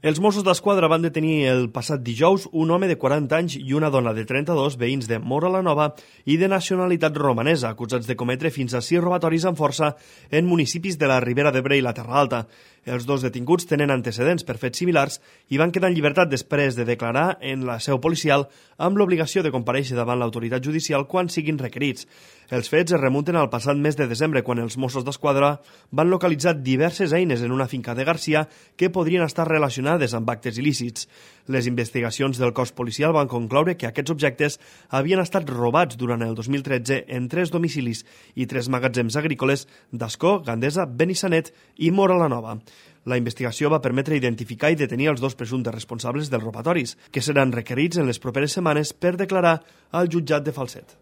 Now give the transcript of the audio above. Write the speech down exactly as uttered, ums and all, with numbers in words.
Els Mossos d'Esquadra van detenir el passat dijous un home de quaranta anys i una dona de trenta-dos, veïns de Móra la Nova i de nacionalitat romanesa, acusats de cometre fins a sis robatoris amb força en municipis de la Ribera d'Ebre i la Terra Alta. Els dos detinguts tenen antecedents per fets similars i van quedar en llibertat després de declarar en la seu policial amb l'obligació de comparèixer davant l'autoritat judicial quan siguin requerits. Els fets es remunten al passat mes de desembre, quan els Mossos d'Esquadra van localitzar diverses eines en una finca de Garcia que podrien estar relacionades amb actes il·lícits. Les investigacions del cos policial van concloure que aquests objectes havien estat robats durant el dos mil tretze en tres domicilis i tres magatzems agrícoles d'Ascó, Gandesa, Benissanet i Móra la Nova. La investigació va permetre identificar i detenir els dos presumptes responsables dels robatoris, que seran requerits en les properes setmanes per declarar al jutjat de Falset.